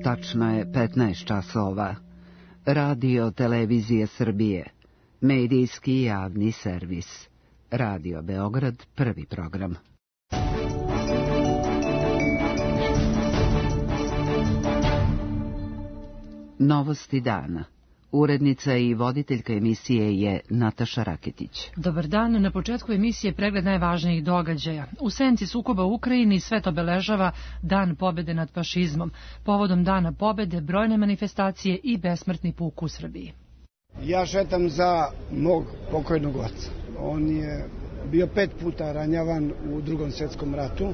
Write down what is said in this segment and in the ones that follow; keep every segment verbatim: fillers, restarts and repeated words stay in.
Tačno je petnaest časova. Radio Televizije Srbije. Medijski javni servis. Radio Beograd, prvi program. Novosti dana. Urednica i voditeljka emisije je Nataša Raketić. Dobar dan, na početku emisije pregled najvažnijih događaja. U senci sukoba u Ukrajini svet obeležava Dan pobede nad fašizmom. Povodom Dana pobede brojne manifestacije i besmrtni puk u Srbiji. Ja šetam za mog pokojnog oca. On je bio pet puta ranjavan u Drugom svjetskom ratu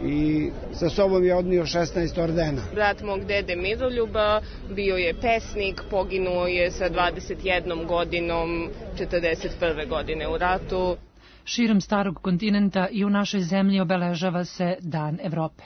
i sa sobom je odnio šesnaest ordena. Brat mog dede Miroljuba bio je pesnik, poginuo je sa dvadeset jednom godinom četrdeset prve godine u ratu. Širom starog kontinenta i u našoj zemlji obeležava se Dan Evrope.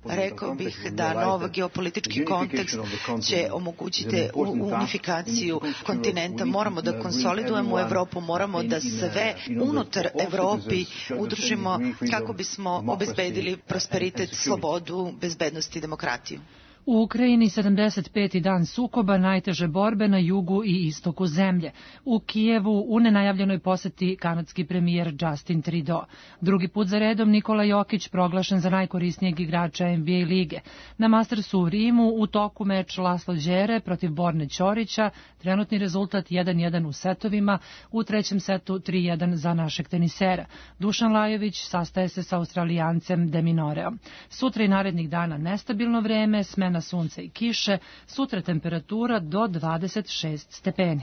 Rekao bih da nov geopolitički kontekst će omogućiti unifikaciju kontinenta. Moramo da konsolidujemo Evropu, moramo da sve unutar Evropi udružimo kako bismo obezbedili prosperitet, slobodu, bezbednost i demokratiju. U Ukrajini sedamdeset peti dan sukoba, najteže borbe na jugu i istoku zemlje. U Kijevu u nenajavljenoj poseti kanadski premijer Justin Trudeau. Drugi put za redom Nikola Jokić proglašen za najkorisnijeg igrača N B A lige. Na Mastersu u Rimu u toku meč Laslo Đere protiv Borne Ćorića, trenutni rezultat jedan jedan u setovima, u trećem setu tri jedan za našeg tenisera. Dušan Lajović sastaje se sa Australijancem De Minoreom. Sutra i narednih dana nestabilno vreme, smena sunca i kiše, sutra temperatura do dvadeset šest stepeni.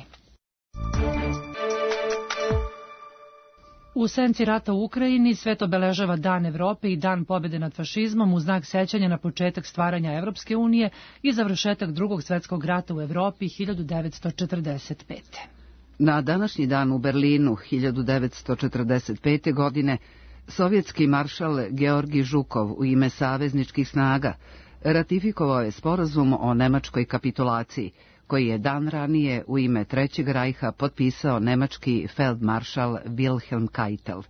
U senci rata u Ukrajini svet obeležava Dan Evrope i Dan pobede nad fašizmom u znak sećanja na početak stvaranja Evropske unije i završetak Drugog svjetskog rata u Evropi hiljadu devetsto četrdeset pete. Na današnji dan u Berlinu hiljadu devetsto četrdeset pete. godine sovjetski maršal Georgij Žukov u ime savezničkih snaga ratifikovao je sporazum o nemačkoj kapitulaciji, koji je dan ranije u ime Trećeg rajha potpisao nemački feldmaršal Wilhelm Keitel.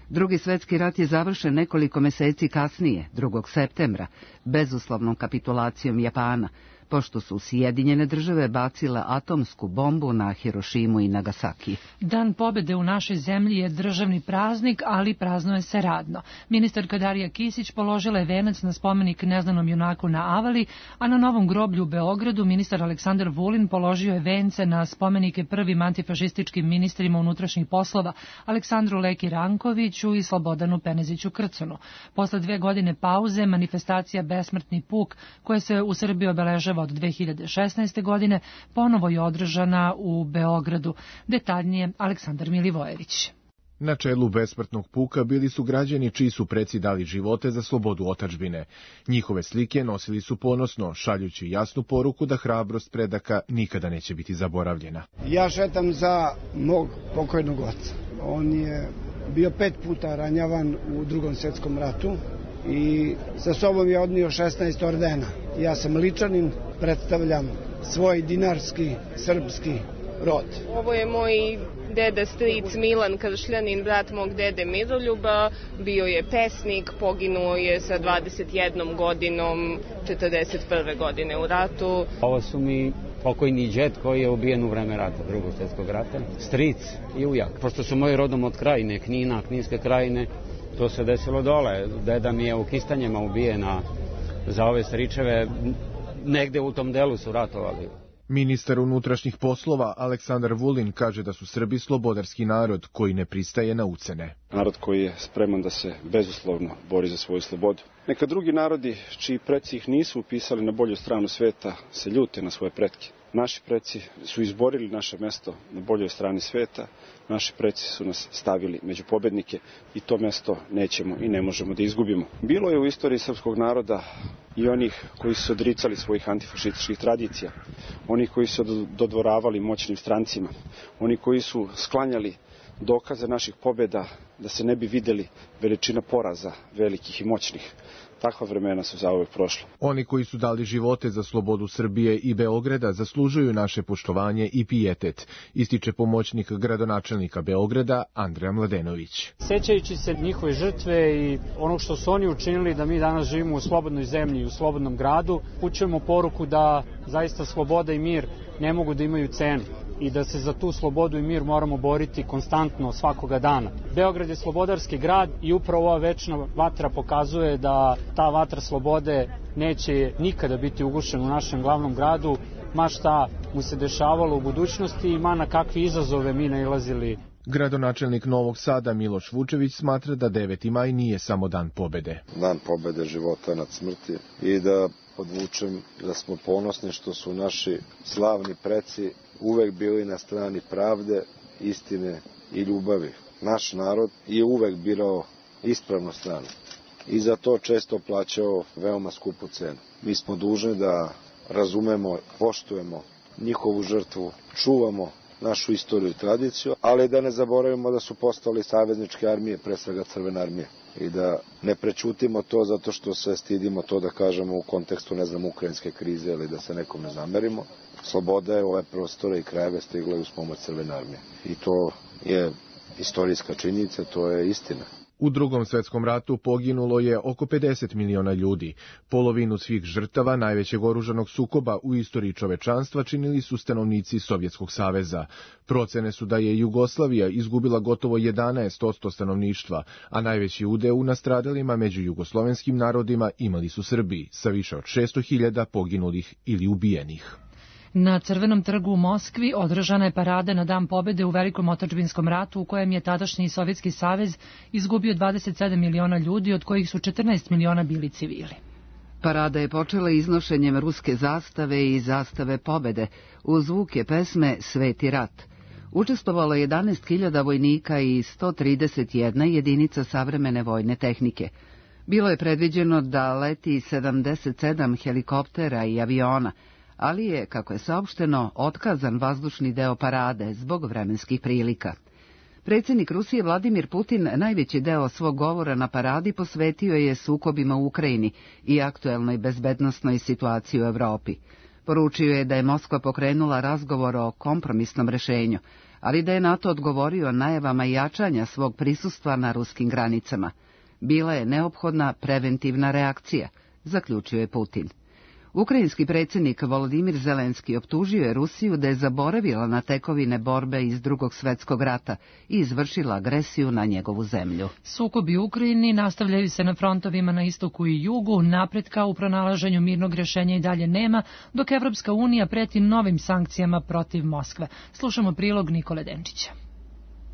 Drugi svjetski rat je završen nekoliko meseci kasnije, drugog septembra, bezuslovnom kapitulacijom Japana, pošto su Sjedinjene države bacile atomsku bombu na Hirošimu i Nagasaki. Dan pobede u našoj zemlji je državni praznik, ali praznuje se radno. Ministarka Darija Kisić položila je venac na spomenik neznanom junaku na Avali, a na Novom groblju u Beogradu ministar Aleksandar Vulin položio je vence na spomenike prvim antifašističkim ministrima unutrašnjih poslova Aleksandru Leki Rankoviću i Slobodanu Peneziću Krcunu. Posle dve godine pauze, manifestacija Besmrtni puk, koja se u Srbiji obeležava od dve hiljade šesnaeste. godine, ponovo je održana u Beogradu. Detaljnije Aleksandar Milivojević. Na čelu besmrtnog puka bili su građani čiji su preci dali živote za slobodu otadžbine. Njihove slike nosili su ponosno, šaljući jasnu poruku da hrabrost predaka nikada neće biti zaboravljena. Ja šetam za mog pokojnog oca. On je bio pet puta ranjavan u Drugom svjetskom ratu i sa sobom je odnio šesnaest ordena. Ja sam Ličanin, predstavljam svoj dinarski, srpski rod. Ovo je moj deda stric Milan Kršljanin, brat mog dede Miroljuba, bio je pesnik, poginuo je sa dvadeset jednom godinom četrdeset prve. godine u ratu. Ovo su mi pokojni džed koji je ubijen u vreme rata, Drugog svjetskog rata, stric i ujak. Pošto su moji rodom od Krajine, Knina, Kninske krajine, to se desilo dole. Deda mi je u Kistanjima ubijena za ove stričeve, negde u tom delu su ratovali. Ministar unutrašnjih poslova Aleksandar Vulin kaže da su Srbi slobodarski narod koji ne pristaje na ucene. Narod koji je spreman da se bezuslovno bori za svoju slobodu. Neka drugi narodi, čiji preci ih nisu upisali na bolju stranu sveta, se ljute na svoje pretke. Naši preci su izborili naše mesto na boljoj strani sveta, naši preci su nas stavili među pobednike i to mesto nećemo i ne možemo da izgubimo. Bilo je u istoriji srpskog naroda i onih koji su odricali svojih antifašističkih tradicija, oni koji su dodvoravali moćnim strancima, oni koji su sklanjali dokaze naših pobjeda da se ne bi videli veličina poraza velikih i moćnih. takva vremena su zauvek prošla. Oni koji su dali živote za slobodu Srbije i Beograda zaslužuju naše poštovanje i pijetet, ističe pomoćnik gradonačelnika Beograda Andreja Mladenović. Sećajući se njihove žrtve i onog što su oni učinili da mi danas živimo u slobodnoj zemlji i u slobodnom gradu, upućujemo poruku da zaista sloboda i mir ne mogu da imaju cenu i da se za tu slobodu i mir moramo boriti konstantno svakoga dana. Beograd je slobodarski grad i upravo ova večna vatra pokazuje da ta vatra slobode neće nikada biti ugušena u našem glavnom gradu, ma šta mu se dešavalo u budućnosti i ma na kakve izazove mi nailazili. Gradonačelnik Novog Sada Miloš Vučević smatra da deveti maj nije samo dan pobede. Dan pobede života nad smrti i da podvučem da smo ponosni što su naši slavni preci uvek bili na strani pravde, istine i ljubavi. Naš narod je uvek birao ispravnu stranu i za to često plaćao veoma skupu cenu. Mi smo dužni da razumemo, poštujemo njihovu žrtvu, čuvamo našu istoriju i tradiciju, ali da ne zaboravimo da su postali savezničke armije, pre svega Crvena armija. I da ne prećutimo to zato što se stidimo to da kažemo u kontekstu, ne znam, ukrajinske krize ili da se nekom ne zamerimo. Sloboda je ove prostore i krajeve stigla uz pomoć Crvene armije. I to je istorijska činjenica, to je istina. U Drugom svetskom ratu poginulo je oko pedeset miliona ljudi. Polovinu svih žrtava najvećeg oružanog sukoba u istoriji čovečanstva činili su stanovnici Sovjetskog saveza. Procene su da je Jugoslavija izgubila gotovo jedanaest posto stanovništva, a najveći udeo u nastradalima među jugoslovenskim narodima imali su Srbi, sa više od šesto hiljada poginulih ili ubijenih. Na Crvenom trgu u Moskvi održana je parada na Dan pobede u Velikom otadžbinskom ratu u kojem je tadašnji Sovjetski savez izgubio dvadeset sedam miliona ljudi, od kojih su četrnaest miliona bili civili. Parada je počela iznošenjem ruske zastave i zastave pobede uz zvuke pesme Sveti rat. Učestvovalo je jedanaest hiljada vojnika i sto trideset jedna jedinica savremene vojne tehnike. Bilo je predviđeno da leti sedamdeset sedam helikoptera i aviona, ali je, kako je saopšteno, otkazan vazdušni deo parade zbog vremenskih prilika. Predsjednik Rusije Vladimir Putin najveći deo svog govora na paradi posvetio je sukobima u Ukrajini i aktuelnoj bezbednosnoj situaciji u Evropi. Poručio je da je Moskva pokrenula razgovor o kompromisnom rešenju, ali da je NATO odgovorio najavama jačanja svog prisustva na ruskim granicama. Bila je neophodna preventivna reakcija, zaključio je Putin. Ukrajinski predsjednik Volodimir Zelenski optužio je Rusiju da je zaboravila na tekovine borbe iz Drugog svjetskog rata i izvršila agresiju na njegovu zemlju. Sukobi u Ukrajini nastavljaju se na frontovima na istoku i jugu, napretka u pronalaženju mirnog rješenja i dalje nema, dok Evropska unija preti novim sankcijama protiv Moskve. Slušamo prilog Nikole Denčića.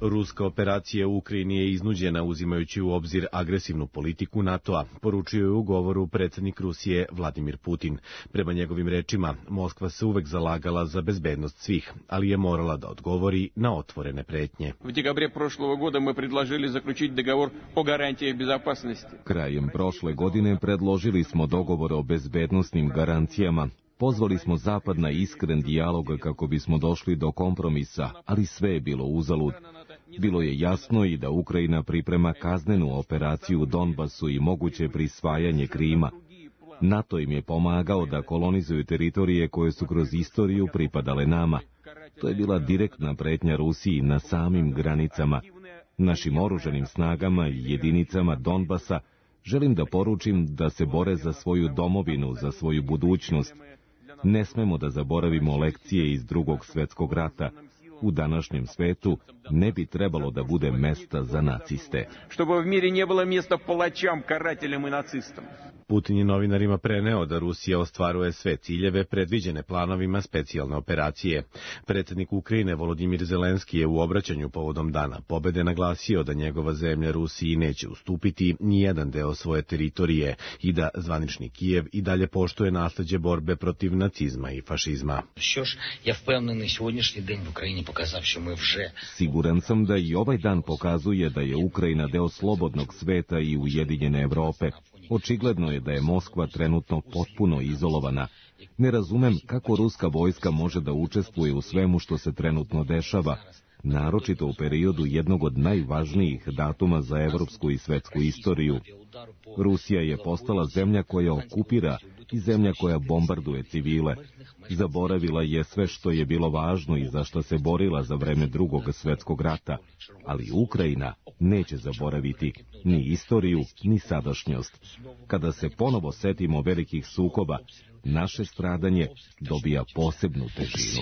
Ruska operacija u Ukrajini je iznuđena uzimajući u obzir agresivnu politiku NATO-a, poručio je u govoru predsjednik Rusije Vladimir Putin. Prema njegovim rečima, Moskva se uvek zalagala za bezbednost svih, ali je morala da odgovori na otvorene pretnje. U dekabre prošlog года мы предложили заключить договор о гарантиях безопасности. Krajem prošle godine predložili smo dogovor o bezbednosnim garancijama. Pozvali smo Zapad na iskren dijalog kako bismo došli do kompromisa, ali sve je bilo uzalud. Bilo je jasno i da Ukrajina priprema kaznenu operaciju u Donbasu i moguće prisvajanje Krima. NATO im je pomagao da kolonizuju teritorije koje su kroz istoriju pripadale nama. To je bila direktna pretnja Rusiji na samim granicama. Našim oružanim snagama i jedinicama Donbasa želim da poručim da se bore za svoju domovinu, za svoju budućnost. Ne smemo da zaboravimo lekcije iz Drugog svjetskog rata. U današnjem svetu ne bi trebalo da bude mesta za naciste. Чтобы в мире не было места палачам, карателям и нацистам. Putin je novinarima preneo da Rusija ostvaruje sve ciljeve predviđene planovima specijalne operacije. Predsjednik Ukrajine Volodimir Zelenski je u obraćanju povodom Dana pobede naglasio da njegova zemlja Rusiji neće ustupiti ni jedan deo svoje teritorije i da zvanični Kijev i dalje poštuje nasleđe borbe protiv nacizma i fašizma. Siguran sam da i ovaj dan pokazuje da je Ukrajina deo slobodnog sveta i ujedinjene Evrope. Očigledno je da je Moskva trenutno potpuno izolovana. Ne razumem kako ruska vojska može da učestvuje u svemu što se trenutno dešava. naročito u periodu jednog od najvažnijih datuma za evropsku i svetsku istoriju. Rusija je postala zemlja koja okupira i zemlja koja bombarduje civile. Zaboravila je sve što je bilo važno i za što se borila za vreme Drugog svetskog rata, ali Ukrajina neće zaboraviti ni istoriju, ni sadašnjost. Kada se ponovo setimo velikih sukoba, naše stradanje dobija posebnu težinu.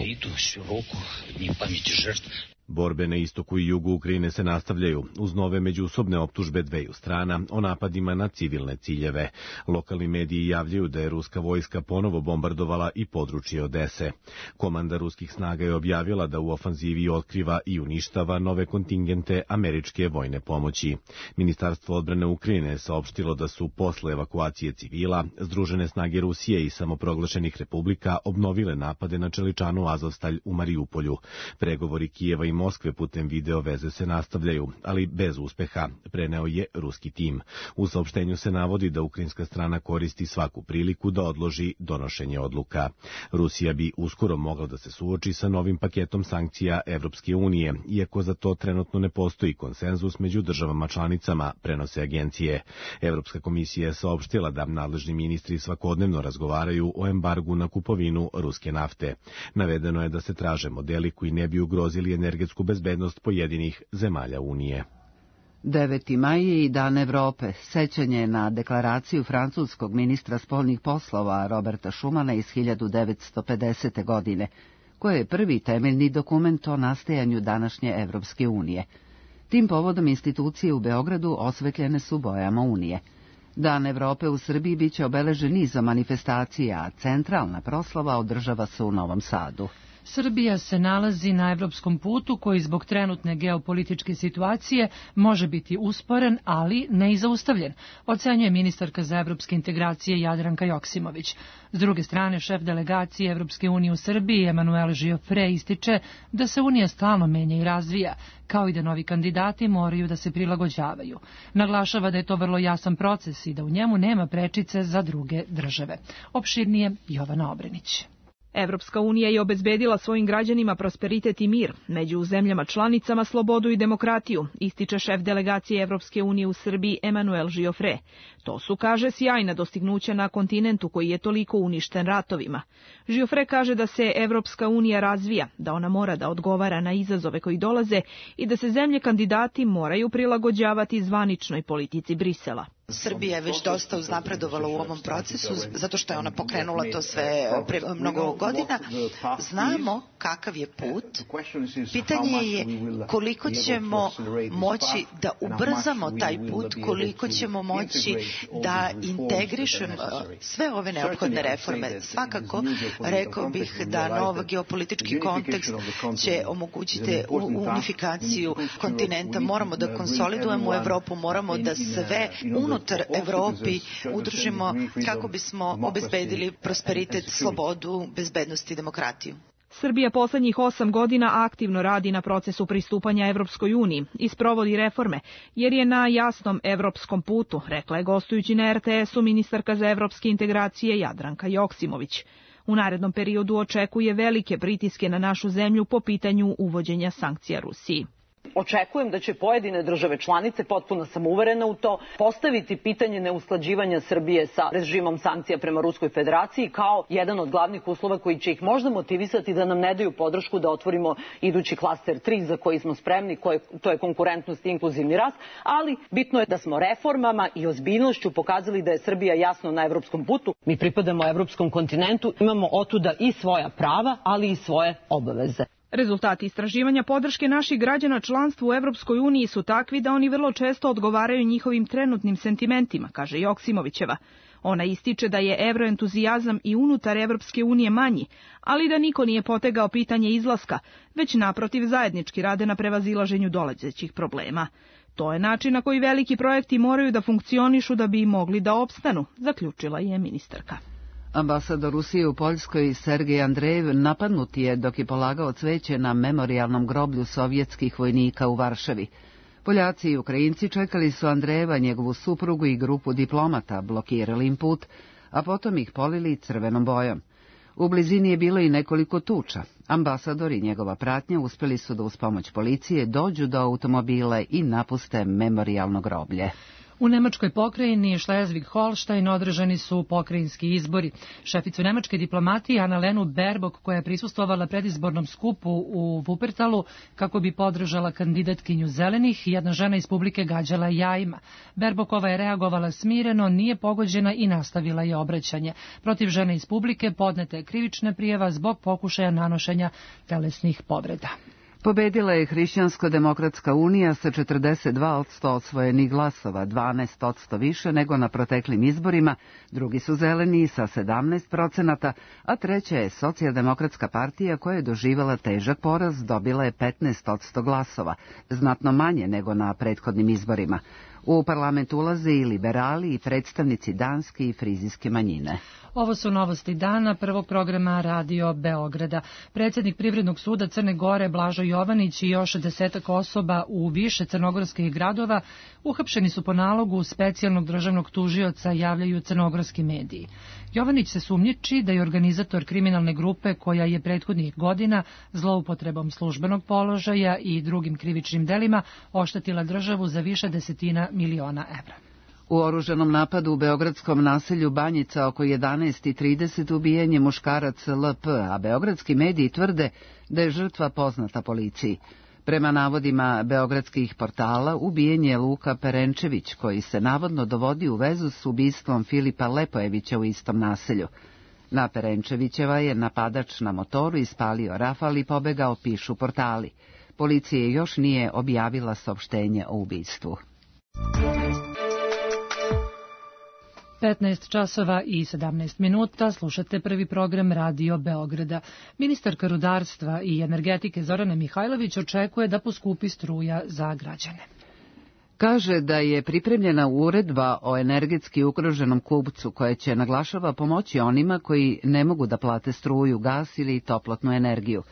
Borbe na istoku i jugu Ukrajine se nastavljaju uz nove međusobne optužbe dveju strana o napadima na civilne ciljeve. Lokalni mediji javljaju da je ruska vojska ponovo bombardovala i područje Odese. Komanda ruskih snaga je objavila da u ofanzivi otkriva i uništava nove kontingente američke vojne pomoći. Ministarstvo odbrane Ukrajine je saopštilo da su posle evakuacije civila Združene snage Rusije i samoproglašenih republika obnovile napade na čeličanu Azovstalj u Marijupolju. Pregovori Kijeva i Moskve putem video veze se nastavljaju, ali bez uspeha, preneo je ruski tim. U saopštenju se navodi da ukrajinska strana koristi svaku priliku da odloži donošenje odluka. Rusija bi uskoro mogla da se suoči sa novim paketom sankcija Evropske unije, iako za to trenutno ne postoji konsenzus među državama članicama, prenose agencije. Evropska komisija je saopštila da nadležni ministri svakodnevno razgovaraju o embargu na kupovinu ruske nafte. Navedeno je da se traže modeli koji ne bi ugrozili energetsku bezbednost pojedinih zemalja Unije. deveti maj je i Dan Evrope, sećanje na deklaraciju francuskog ministra spoljnih poslova Roberta Schumana iz hiljadu devetsto pedesete. godine, koje je prvi temeljni dokument o nastajanju današnje Evropske unije. Tim povodom institucije u Beogradu osvetljene su bojama Unije. Dan Evrope u Srbiji biće obeležen nizom manifestacija, a centralna proslava održava se u Novom Sadu. Srbija se nalazi na evropskom putu koji zbog trenutne geopolitičke situacije može biti usporen, ali ne i zaustavljen, ocenjuje ministarka za evropske integracije Jadranka Joksimović. S druge strane, šef delegacije Evropske unije u Srbiji, Emanuel Giofre, ističe da se Unija stalno menja i razvija, kao i da novi kandidati moraju da se prilagođavaju. Naglašava da je to vrlo jasan proces i da u njemu nema prečice za druge države. Opširnije Jovana Obrenić. Evropska unija je obezbedila svojim građanima prosperitet i mir, među zemljama članicama slobodu i demokratiju, ističe šef delegacije Evropske unije u Srbiji Emanuel Giofre. To su, kaže, sjajna dostignuća na kontinentu koji je toliko uništen ratovima. Giofre kaže da se Evropska unija razvija, da ona mora da odgovara na izazove koji dolaze i da se zemlje kandidati moraju prilagođavati zvaničnoj politici Brisela. Srbija je već dosta uznapredovala u ovom procesu, zato što je ona pokrenula to sve pre mnogo godina. Znamo kakav je put. Pitanje je koliko ćemo moći da ubrzamo taj put, koliko ćemo moći da integrišemo sve ove neophodne reforme. Svakako, rekao bih da nov geopolitički kontekst će omogućiti unifikaciju kontinenta. Moramo da konsolidujemo Evropu, moramo da sve unutar Evropi udružimo kako bismo obezbedili prosperitet, slobodu, bezbednost i demokratiju. Srbija poslednjih osam godina aktivno radi na procesu pristupanja Evropskoj uniji i sprovodi reforme, jer je na jasnom evropskom putu, rekla je gostujući na er te esu ministarka za evropske integracije Jadranka Joksimović. U narednom periodu očekuje velike pritiske na našu zemlju po pitanju uvođenja sankcija Rusiji. Očekujem da će pojedine države članice, potpuno sam uverena u to, postaviti pitanje neusklađivanja Srbije sa režimom sankcija prema Ruskoj federaciji kao jedan od glavnih uslova koji će ih možda motivisati da nam ne daju podršku da otvorimo idući klaster tri za koji smo spremni, koje, to je konkurentnost i inkluzivni rast, ali bitno je da smo reformama i ozbiljnošću pokazali da je Srbija jasno na evropskom putu. Mi pripadamo evropskom kontinentu, imamo otuda i svoja prava, ali i svoje obaveze. Rezultati istraživanja podrške naših građana članstvu u Evropskoj uniji su takvi da oni vrlo često odgovaraju njihovim trenutnim sentimentima, kaže Joksimovićeva. Ona ističe da je evroentuzijazam i unutar Evropske unije manji, ali da niko nije potegao pitanje izlaska, već naprotiv zajednički rade na prevazilaženju dolazećih problema. To je način na koji veliki projekti moraju da funkcionišu da bi mogli da opstanu, zaključila je ministarka. Ambasador Rusije u Poljskoj Sergej Andrejev napadnut je dok je polagao cveće na memorijalnom groblju sovjetskih vojnika u Varšavi. Poljaci i Ukrajinci čekali su Andrejeva, njegovu suprugu i grupu diplomata, blokirali im put, a potom ih polili crvenom bojom. U blizini je bilo i nekoliko tuča. Ambasador i njegova pratnja uspjeli su da uz pomoć policije dođu do automobila i napuste memorijalno groblje. U nemačkoj pokrajini Schleswig-Holstein održani su pokrajinski izbori. Šeficu nemačke diplomatije Annalenu Baerbock, koja je prisustvovala predizbornom skupu u Wuppertalu kako bi podržala kandidatkinju zelenih, jedna žena iz publike gađala jajima. Baerbockova je reagovala smireno, nije pogođena i nastavila je obraćanje. Protiv žene iz publike podneta je krivična prijava zbog pokušaja nanošenja telesnih povreda. Pobedila je Hrišćansko-demokratska unija sa četrdeset dva posto osvojenih glasova, dvanaest posto više nego na proteklim izborima, drugi su zeleni sa sedamnaest procenata, a treća je Socijaldemokratska partija koja je doživala težak poraz, dobila je petnaest posto glasova, znatno manje nego na prethodnim izborima. U parlament ulaze i liberali i predstavnici danske i frizijske manjine. Ovo su novosti dana prvog programa Radio Beograda. Predsjednik Privrednog suda Crne Gore Blažo Jovanić i još desetak osoba u više crnogorskih gradova uhapšeni su po nalogu specijalnog državnog tužioca, javljaju crnogorski mediji. Jovanić se sumnjiči da je organizator kriminalne grupe koja je prethodnih godina zloupotrebom službenog položaja i drugim krivičnim delima oštetila državu za više desetina miliona evra. U oružanom napadu u beogradskom naselju Banjica oko jedanaest i trideset ubijen je muškarac L P, a beogradski mediji tvrde da je žrtva poznata policiji. Prema navodima beogradskih portala, ubijen je Luka Perenčević, koji se navodno dovodi u vezu s ubistvom Filipa Lepojevića u istom naselju. Na Perenčevićeva je napadač na motoru ispalio rafal i pobegao, pišu portali. Policija još nije objavila saopštenje o ubistvu. petnaest časova i sedamnaest minuta, slušate prvi program Radio Beograda. Ministarka rudarstva i energetike Zorana Mihajlović očekuje da poskupi struja za građane. Kaže da je pripremljena uredba o energetski ugroženom kupcu koja će, naglašava, pomoći onima koji ne mogu da plate struju, gas ili toplotnu energiju.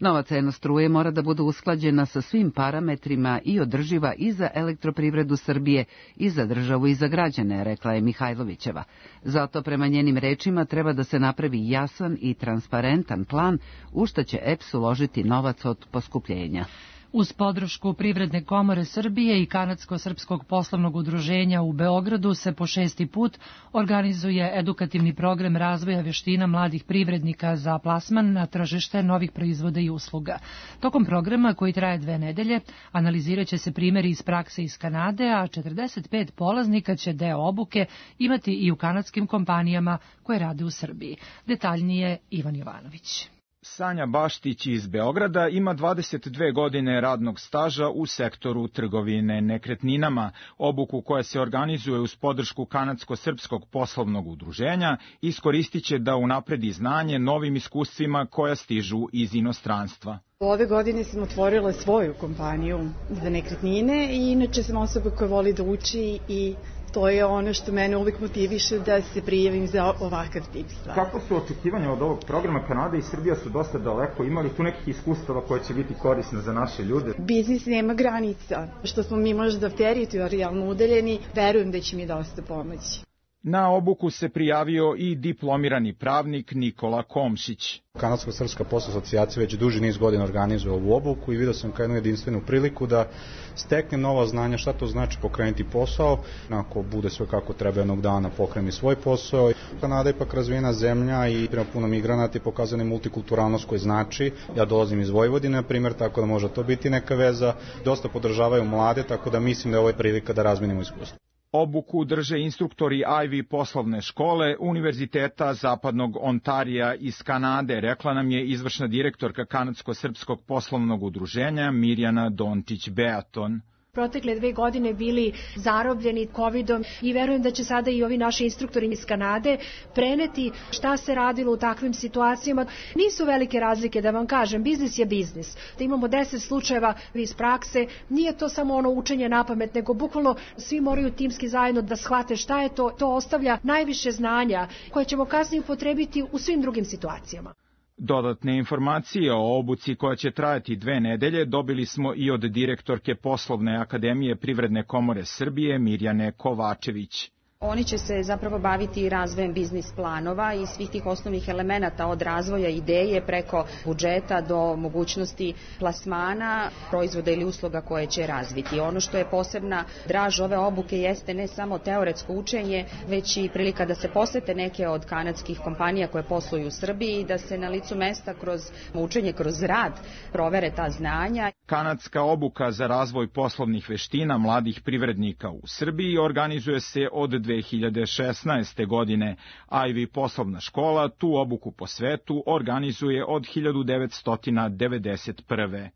Nova cena struje mora da bude usklađena sa svim parametrima i održiva i za elektroprivredu Srbije i za državu i za građane, rekla je Mihajlovićeva. Zato prema njenim rečima treba da se napravi jasan i transparentan plan u šta će E P S uložiti novac od poskupljenja. Uz podršku Privredne komore Srbije i Kanadsko-srpskog poslovnog udruženja u Beogradu se po šesti put organizuje edukativni program razvoja vještina mladih privrednika za plasman na tržište novih proizvoda i usluga. Tokom programa, koji traje dve nedelje, analizirat će se primjeri iz prakse iz Kanade, a četrdeset pet polaznika će deo obuke imati i u kanadskim kompanijama koje rade u Srbiji. Detaljnije Ivan Jovanović. Sanja Baštić iz Beograda ima dvadeset dve godine radnog staža u sektoru trgovine nekretninama. Obuku koja se organizuje uz podršku Kanadsko-srpskog poslovnog udruženja iskoristit će da unapredi znanje novim iskustvima koja stižu iz inostranstva. Ove godine sam otvorila svoju kompaniju za nekretnine i inače sam osoba koja voli da uči i to je ono što mene uvijek motiviše da se prijavim za ovakav tip stvari. Kako su očekivanja od ovog programa? Kanada i Srbija su dosta daleko. Ima li tu nekih iskustava koje će biti korisne za naše ljude? Biznis nema granica. Što smo mi možda teritorijalno udaljeni, verujem da će mi dosta pomoći. Na obuku se prijavio i diplomirani pravnik Nikola Komšić. Kanadsko-srpska poslovna asocijacija već duži niz godina organizuje ovu obuku i vidio sam kao jednu jedinstvenu priliku da steknem nova znanja šta to znači pokrenuti posao. Ako bude sve kako treba jednog dana pokreni svoj posao. Kanada je ipak razvijena zemlja i prema puno migranata i pokazane multikulturalnost koje znači. Ja dolazim iz Vojvodine, na primjer, tako da može to biti neka veza. Dosta podržavaju mlade, tako da mislim da je ovo prilika da razmenimo iskustvo. Obuku drže instruktori Ivy poslovne škole Univerziteta Zapadnog Ontarija iz Kanade, rekla nam je izvršna direktorka Kanadsko-srpskog poslovnog udruženja Mirjana Dončić-Beaton. Protekle dve godine bili zarobljeni kovidom i verujem da će sada i ovi naši instruktori iz Kanade preneti šta se radilo u takvim situacijama. Nisu velike razlike, da vam kažem, biznis je biznis. Da imamo deset slučajeva iz prakse, nije to samo ono učenje napamet, nego bukvalno svi moraju timski zajedno da shvate šta je to. To ostavlja najviše znanja koje ćemo kasnije upotrebiti u svim drugim situacijama. Dodatne informacije o obuci koja će trajati dve nedelje dobili smo i od direktorke Poslovne akademije Privredne komore Srbije Mirjane Kovačević. Oni će se zapravo baviti razvojem biznis planova i svih tih osnovnih elemenata od razvoja ideje preko budžeta do mogućnosti plasmana, proizvoda ili usluga koje će razviti. Ono što je posebna draž ove obuke jeste ne samo teoretsko učenje, već i prilika da se posete neke od kanadskih kompanija koje posluju u Srbiji i da se na licu mesta kroz učenje, kroz rad provere ta znanja. Kanadska obuka za razvoj poslovnih veština mladih privrednika u Srbiji organizuje se od dve hiljade šesnaeste. godine. Ivy poslovna škola tu obuku po svetu organizuje od hiljadu devetsto devedeset prve.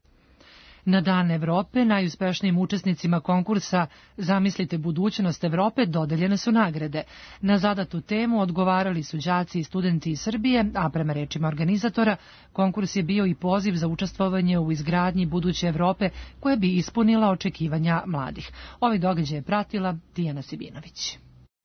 Na Dan Evrope najuspešnijim učesnicima konkursa Zamislite budućnost Evrope dodeljene su nagrade. Na zadatu temu odgovarali su đaci i studenti iz Srbije, a prema rečima organizatora, konkurs je bio i poziv za učestvovanje u izgradnji buduće Evrope koja bi ispunila očekivanja mladih. Ovi događaj je pratila Tijana Sibinović.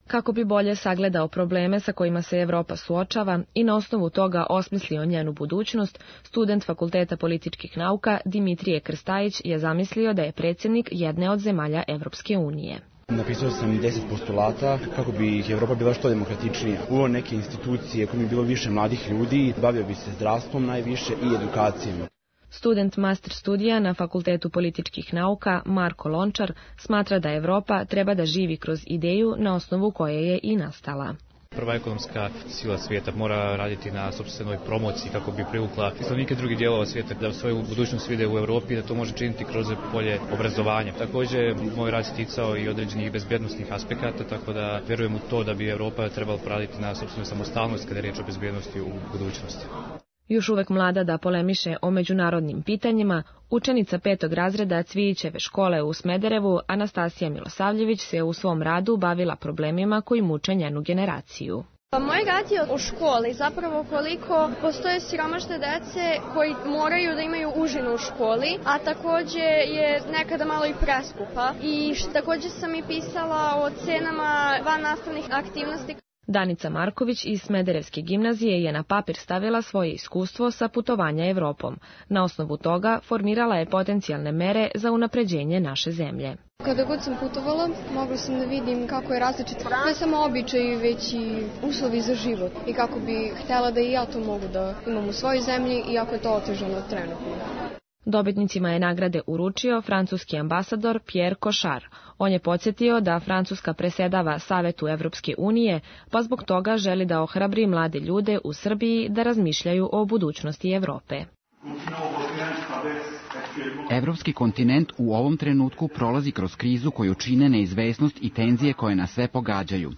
Kako bi bolje sagledao probleme sa kojima se Evropa suočava i na osnovu toga osmislio njenu budućnost, student Fakulteta političkih nauka Dimitrije Krstajić je zamislio da je predsjednik jedne od zemalja Evropske unije. Napisao sam deset postulata kako bi Evropa bila što demokratičnija. Uveo neke institucije koje bi bilo više mladih ljudi, bavio bi se zdravstvom najviše i edukacijom. Student master studija na Fakultetu političkih nauka Marko Lončar smatra da Evropa treba da živi kroz ideju na osnovu koje je i nastala. Prva ekonomska sila svijeta mora raditi na sopstvenoj promociji kako bi privukla stanovnike drugih dijelova svijeta da svoju budućnost vide u Evropi, da to može činiti kroz polje obrazovanja. Također, moj rad se ticao i određenih bezbjednosnih aspekata, tako da vjerujem u to da bi Evropa trebala raditi na sopstvenoj samostalnosti kada je riječ o bezbjednosti u budućnosti. Još uvek mlada da polemiše o međunarodnim pitanjima, učenica petog razreda Cvijićeve škole u Smederevu, Anastasija Milosavljević, se u svom radu bavila problemima koji muče njenu generaciju. Moj rad je o školi, zapravo koliko postoje siromašne dece koji moraju da imaju užinu u školi, a također je nekada malo i preskupa. I također sam i pisala o cenama van nastavnih aktivnosti. Danica Marković iz Smederevske gimnazije je na papir stavila svoje iskustvo sa putovanja Evropom. Na osnovu toga formirala je potencijalne mere za unapređenje naše zemlje. Kada god sam putovala, mogla sam da vidim kako je različito, ne samo običaji, već i uslovi za život i kako bi htjela da i ja to mogu da imam u svojoj zemlji, iako je to otežano trenutno. Dobitnicima je nagrade uručio francuski ambasador Pierre Cochard. On je podsjetio da Francuska presedava Savetu Evropske unije, pa zbog toga želi da ohrabri mlade ljude u Srbiji da razmišljaju o budućnosti Evrope. Evropski kontinent u ovom trenutku prolazi kroz krizu koju čine neizvesnost i tenzije koje nas sve pogađaju.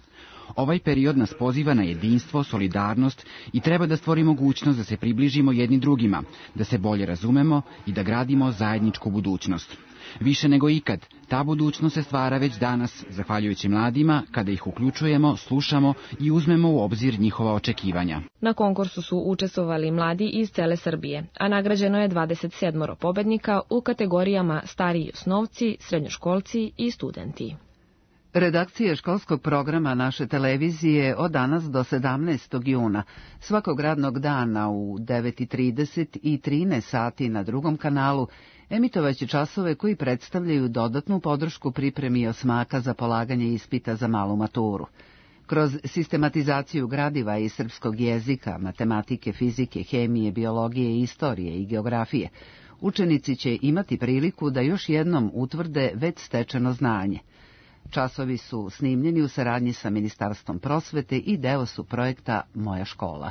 Ovaj period nas poziva na jedinstvo, solidarnost i treba da stvori mogućnost da se približimo jedni drugima, da se bolje razumemo i da gradimo zajedničku budućnost. Više nego ikad, ta budućnost se stvara već danas, zahvaljujući mladima, kada ih uključujemo, slušamo i uzmemo u obzir njihova očekivanja. Na konkursu su učestvovali mladi iz cele Srbije, a nagrađeno je dvadeset sedam pobednika u kategorijama stariji osnovci, srednjoškolci i studenti. Redakcija školskog programa naše televizije od danas do sedamnaestog juna svakog radnog dana u devet i trideset i trinaest sati na drugom kanalu emitovaće časove koji predstavljaju dodatnu podršku pripremi osmaka za polaganje ispita za malu maturu. Kroz sistematizaciju gradiva iz srpskog jezika, matematike, fizike, hemije, biologije, istorije i geografije, učenici će imati priliku da još jednom utvrde već stečeno znanje. Časovi su snimljeni u saradnji sa Ministarstvom prosvete i deo su projekta Moja škola.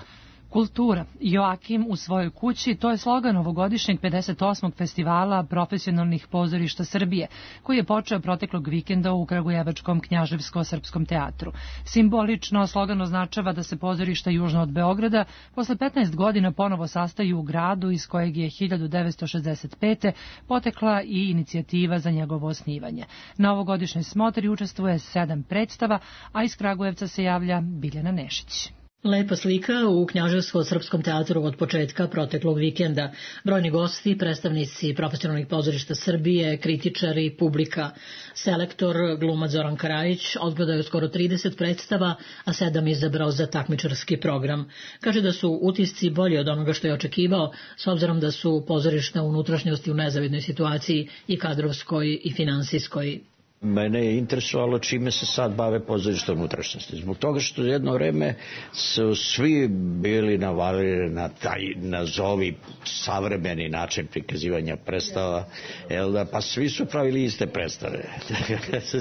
Kultura. Joakim u svojoj kući, to je slogan ovogodišnjeg pedeset osmog festivala profesionalnih pozorišta Srbije, koji je počeo proteklog vikenda u Kragujevačkom Knjaževsko-srpskom teatru. Simbolično slogan označava da se pozorišta južno od Beograda posle petnaest godina ponovo sastaju u gradu iz kojeg je hiljadu devetsto šezdeset pete potekla i inicijativa za njegovo osnivanje. Na ovogodišnjoj smotri učestvuje sedam predstava, a iz Kragujevca se javlja Biljana Nešić. Lepa slika u Knjaževsko-srpskom teatru od početka proteklog vikenda. Brojni gosti, predstavnici profesionalnih pozorišta Srbije, kritičari, publika. Selektor, glumac Zoran Karajić, odgledao skoro trideset predstava, a sedam izabrao za takmičarski program. Kaže da su utisci bolji od onoga što je očekivao, s obzirom da su pozorišta unutrašnjosti u nezavidnoj situaciji i kadrovskoj i finansijskoj. Mene je interesovalo čime se sad bave pozorište unutrašnjosti. Zbog toga što jedno vreme su svi bili navalili na taj, nazovi, savremeni način prikazivanja predstava, jel da, pa svi su pravili iste predstave.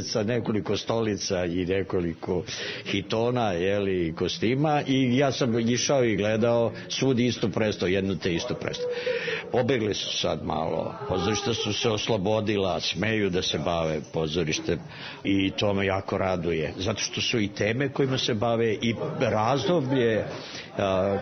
Sa nekoliko stolica i nekoliko hitona, jel, i kostima, i ja sam išao i gledao svudi istu predstavu, jednu te istu predstavu. Pobegli su sad malo, pozorišta su se oslobodila, smeju da se bave pozorištem i to me jako raduje, zato što su i teme kojima se bave i razdoblje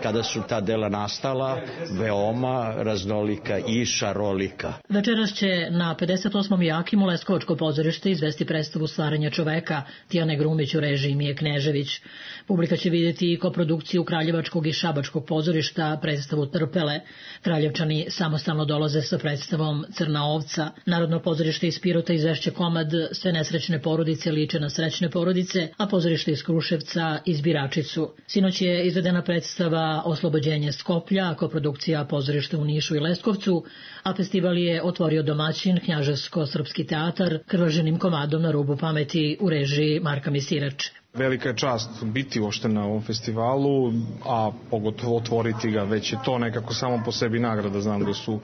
kada su ta dela nastala veoma raznolika i šarolika. Večeras će na pedeset osmom Jakimu Leskovačko pozorište izvesti predstavu Stvaranja čoveka Tijane Grumić u režiji Mije Knežević. Publika će vidjeti i koprodukciju Kraljevačkog i Šabačkog pozorišta, predstavu Trpele. Kraljevčani samostalno dolaze sa predstavom Crna ovca. Narodno pozorište iz Pirota izvešće komad Sve nesrećne porodice liče na srećne porodice, a pozorište iz Kruševca Izbiračicu. Sinoć je izvedena predstava Oslobođenje Skoplja, koprodukcija pozorišta u Nišu i Leskovcu, a festival je otvorio domaćin Knjaževsko-srpski teatar krvaženim komadom Na rubu pameti u režiji Marka Misirače. Velika je čast biti uopšte na ovom festivalu, a pogotovo otvoriti ga, već je to nekako samo po sebi nagrada. Znam da su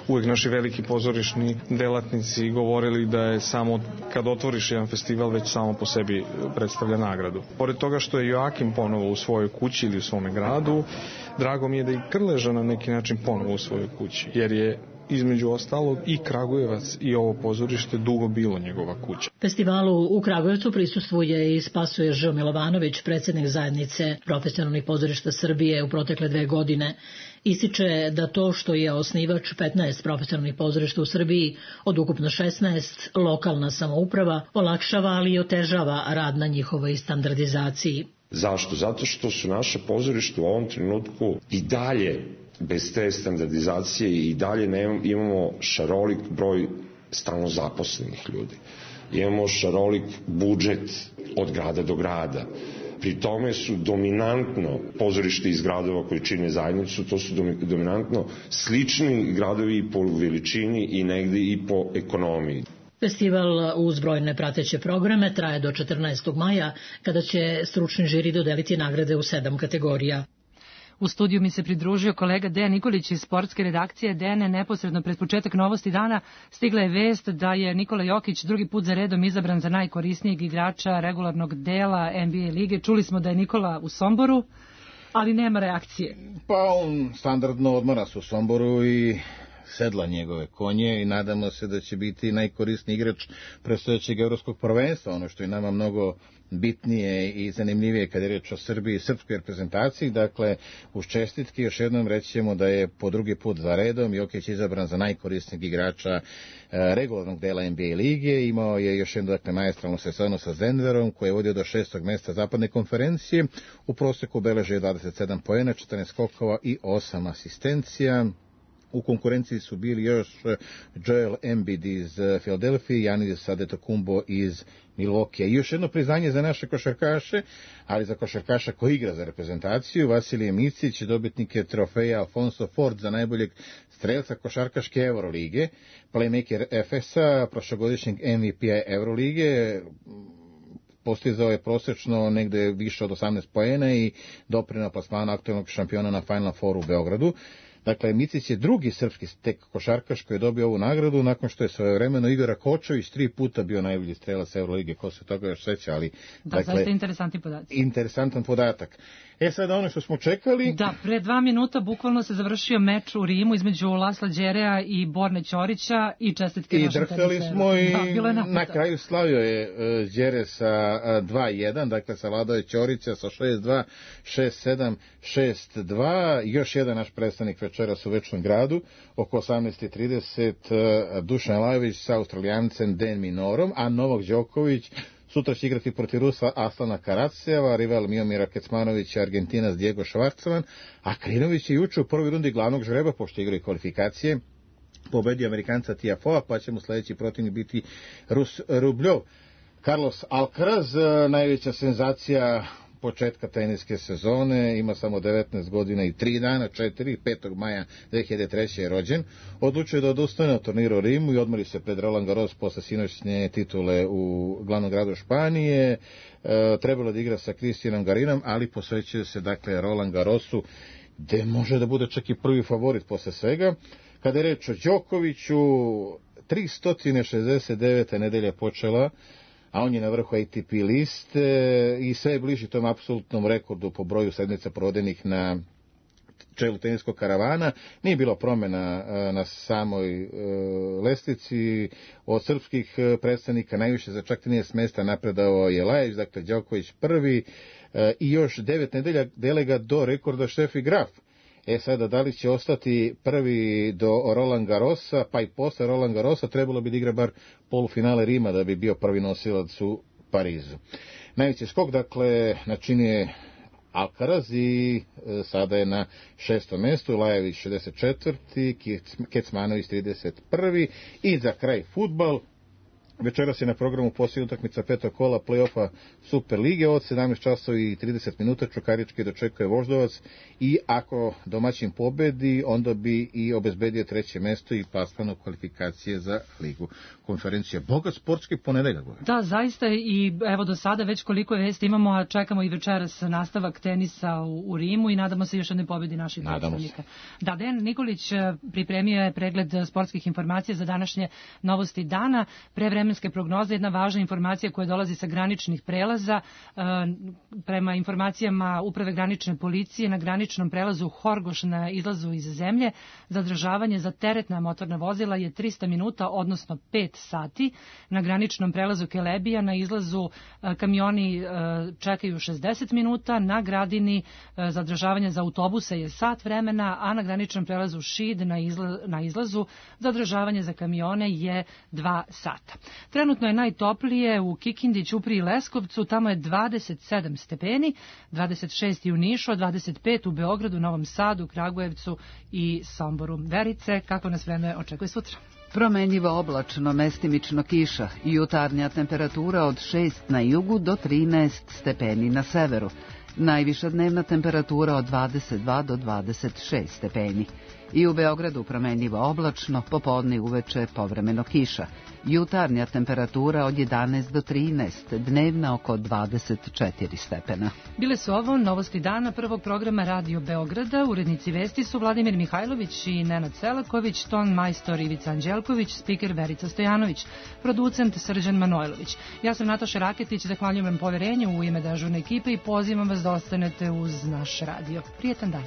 uvijek naši veliki pozorišni delatnici govorili da je samo kad otvoriš jedan festival već samo po sebi predstavlja nagradu. Pored toga što je Joakim ponovo u svojoj kući ili u svome gradu, drago mi je da i Krleža na neki način ponovo u svojoj kući, jer je između ostalog i Kragujevac i ovo pozorište dugo bilo njegova kuća. Festivalu u Kragujevcu prisustvuje i Spasoje Ž. Milovanović, predsjednik zajednice profesionalnih pozorišta Srbije u protekle dve godine. Ističe da to što je osnivač petnaest profesionalnih pozorišta u Srbiji od ukupno šesnaest, lokalna samouprava, olakšava ali i otežava rad na njihovoj standardizaciji. Zašto? Zato što su naše pozorište u ovom trenutku i dalje bez te standardizacije i dalje ne imamo šarolik broj stalno zaposlenih ljudi. Imamo šarolik budžet od grada do grada. Pri tome su dominantno pozorište iz gradova koji čine zajednicu, to su dominantno slični gradovi i po veličini i negde i po ekonomiji. Festival uz brojne prateće programe traje do četrnaestog maja, kada će stručni žiri dodeliti nagrade u sedam kategorija. U studiju mi se pridružio kolega Dejan Nikolić iz sportske redakcije. Dejane, neposredno pred početak Novosti dana stigla je vest da je Nikola Jokić drugi put za redom izabran za najkorisnijeg igrača regularnog dela N B A lige. Čuli smo da je Nikola u Somboru, ali nema reakcije. Pa on standardno odmara se u Somboru i sedla njegove konje i nadamo se da će biti najkorisniji igrač predstojećeg evropskog prvenstva, ono što je nama mnogo bitnije i zanimljivije kada je reč o Srbiji i srpskoj reprezentaciji. Dakle, uz čestitke još jednom reći ćemo da je po drugi put za redom Jokić izabran za najkorisnijeg igrača regularnog dela N B A lige. Imao je još jednu, dakle, maestralnu sezonu sa Denverom, koji je vodio do šestog mesta zapadne konferencije. U proseku beležio dvadeset sedam poena, četrnaest skokova i osam asistencija. U konkurenciji su bili još Joel Embiid iz Filadelfije, Giannis Antetokounmpo iz Milwaukee. I još jedno priznanje za naše košarkaše, ali za košarkaša koji igra za reprezentaciju. Vasilije Micić, dobitnik je trofeja Alfonso Ford za najboljeg strelca košarkaške Eurolige, playmaker F S A, prošlogodišnjeg M V P-a Eurolige, postizao je prosečno negde više od osamnaest poena i doprineo plasmanu aktualnog šampiona na Final Fouru u Beogradu. Dakle, Micić je drugi srpski tek košarkaš koji je dobio ovu nagradu nakon što je svojevremeno Igor Rakočević tri puta bio najbolji strelac Eurolige, ko se toga još seća, ali... Da, dakle, zaista interesantni podatak. Interesantan podatak. E sad ono što smo čekali... Da, pre dva minuta bukvalno se završio meč u Rimu između Lasla Đerea i Borne Ćorića i čestitke našem teniseru. I drhtali smo i da, na kraju slavio je uh, Đere sa uh, dva jedan, dakle savladao je Ćorića sa šest dva, šest sedam, šest dva. Još jedan naš predstavnik večeras u Večnom gradu, oko osamnaest i trideset, uh, Dušan Lajović sa Australijancem Den Minorom, a Novak Đoković sutra će igrati protiv Rusa Aslana Karatseva, rival Miomira Kecmanovića, Argentinac Diego Švarcman, a Krinović je juče u prvoj rundi glavnog žreba, pošto igraju kvalifikacije, pobedio Amerikanca Tiafova, pa će mu sledeći protivnik biti Rus Rubljov. Carlos Alcaraz, najveća senzacija početka teniske sezone, ima samo devetnaest godina i tri dana, četiri, petog maja dve hiljade treće. je rođen. Odlučio da odustane od turnira u Rimu i odmori se pred Roland Garros posle sinoćnje titule u glavnom gradu Španije. E, trebalo da igra sa Cristianom Garinom, ali posvećuje se dakle Roland Garrosu, gde može da bude čak i prvi favorit posle svega. Kada je reč o Đokoviću, tristo šezdeset deveta nedelja počela, a on je na vrhu A T P liste i sve je bliži tom apsolutnom rekordu po broju sedmica provedenih na čelu teniskog karavana. Nije bilo promjena na samoj lestvici. Od srpskih predstavnika najviše za čak trinaest mesta napredao je Lajić, dakle Đoković prvi i još devet nedelja delega do rekorda Steffi Graf. E sada, da li će ostati prvi do Roland Garrosa, pa i posle Roland Garrosa, trebalo bi da igra bar polufinale Rima da bi bio prvi nosilac u Parizu. Najveći skok, dakle, načinje Alcaraz i e, sada je na šestom mestu, Lajević šezdeset četvrti, Kecmanović trideset prvi i za kraj fudbal. Večeras je na programu posljednja utakmica petog kola play-offa Super lige od sedamnaest časova i trideset minuta. Čukarički dočekuje Voždovac i ako domaćin pobedi, onda bi i obezbedio treće mesto i plasman u kvalifikacije za ligu. Konferencija bogat sportski ponedeljak. Da, zaista, i evo do sada već koliko je vesti imamo, a čekamo i večeras nastavak tenisa u, u Rimu i nadamo se još jedne pobedi naših predstavnika. Da, Dejan Nikolić pripremio je pregled sportskih informacija za današnje novosti dana. Pre vremenske prognoze, jedna važna informacija koja dolazi sa graničnih prelaza. Prema informacijama Uprave granične policije, na graničnom prelazu Horgoš na izlazu iz zemlje, zadržavanje za teretna motorna vozila je trista minuta, odnosno pet sati. Na graničnom prelazu Kelebija na izlazu kamioni čekaju šezdeset minuta, na Gradini zadržavanje za autobuse je sat vremena, a na graničnom prelazu Šid na, izla, na izlazu zadržavanje za kamione je dva sata. Trenutno je najtoplije u Kikindi, Ćupriji i Leskovcu, tamo je dvadeset sedam stepeni, dvadeset šest u Nišu, dvadeset pet u Beogradu, Novom Sadu, Kragujevcu i Somboru. Verice, kako nas vreme očekuje sutra? Promenjivo oblačno, mestimično kiša, jutarnja temperatura od šest na jugu do trinaest stepeni na severu. Najviša dnevna temperatura od dvadeset dva do dvadeset šest stepeni. I u Beogradu promenjivo oblačno, popodne uveče povremeno kiša. Jutarnja temperatura od jedanaest do trinaest, dnevna oko dvadeset četiri stepena. Bile su ovo novosti dana prvog programa Radio Beograda. Urednici vesti su Vladimir Mihajlović i Nenad Selaković, ton majstor Ivica Anđelković, spiker Verica Stojanović, producent Srđan Manojlović. Ja sam Nataša Raketić, zahvaljujem vam poverenju u ime dežurne ekipe i pozivam vas da ostanete uz naš radio. Prijetan dan.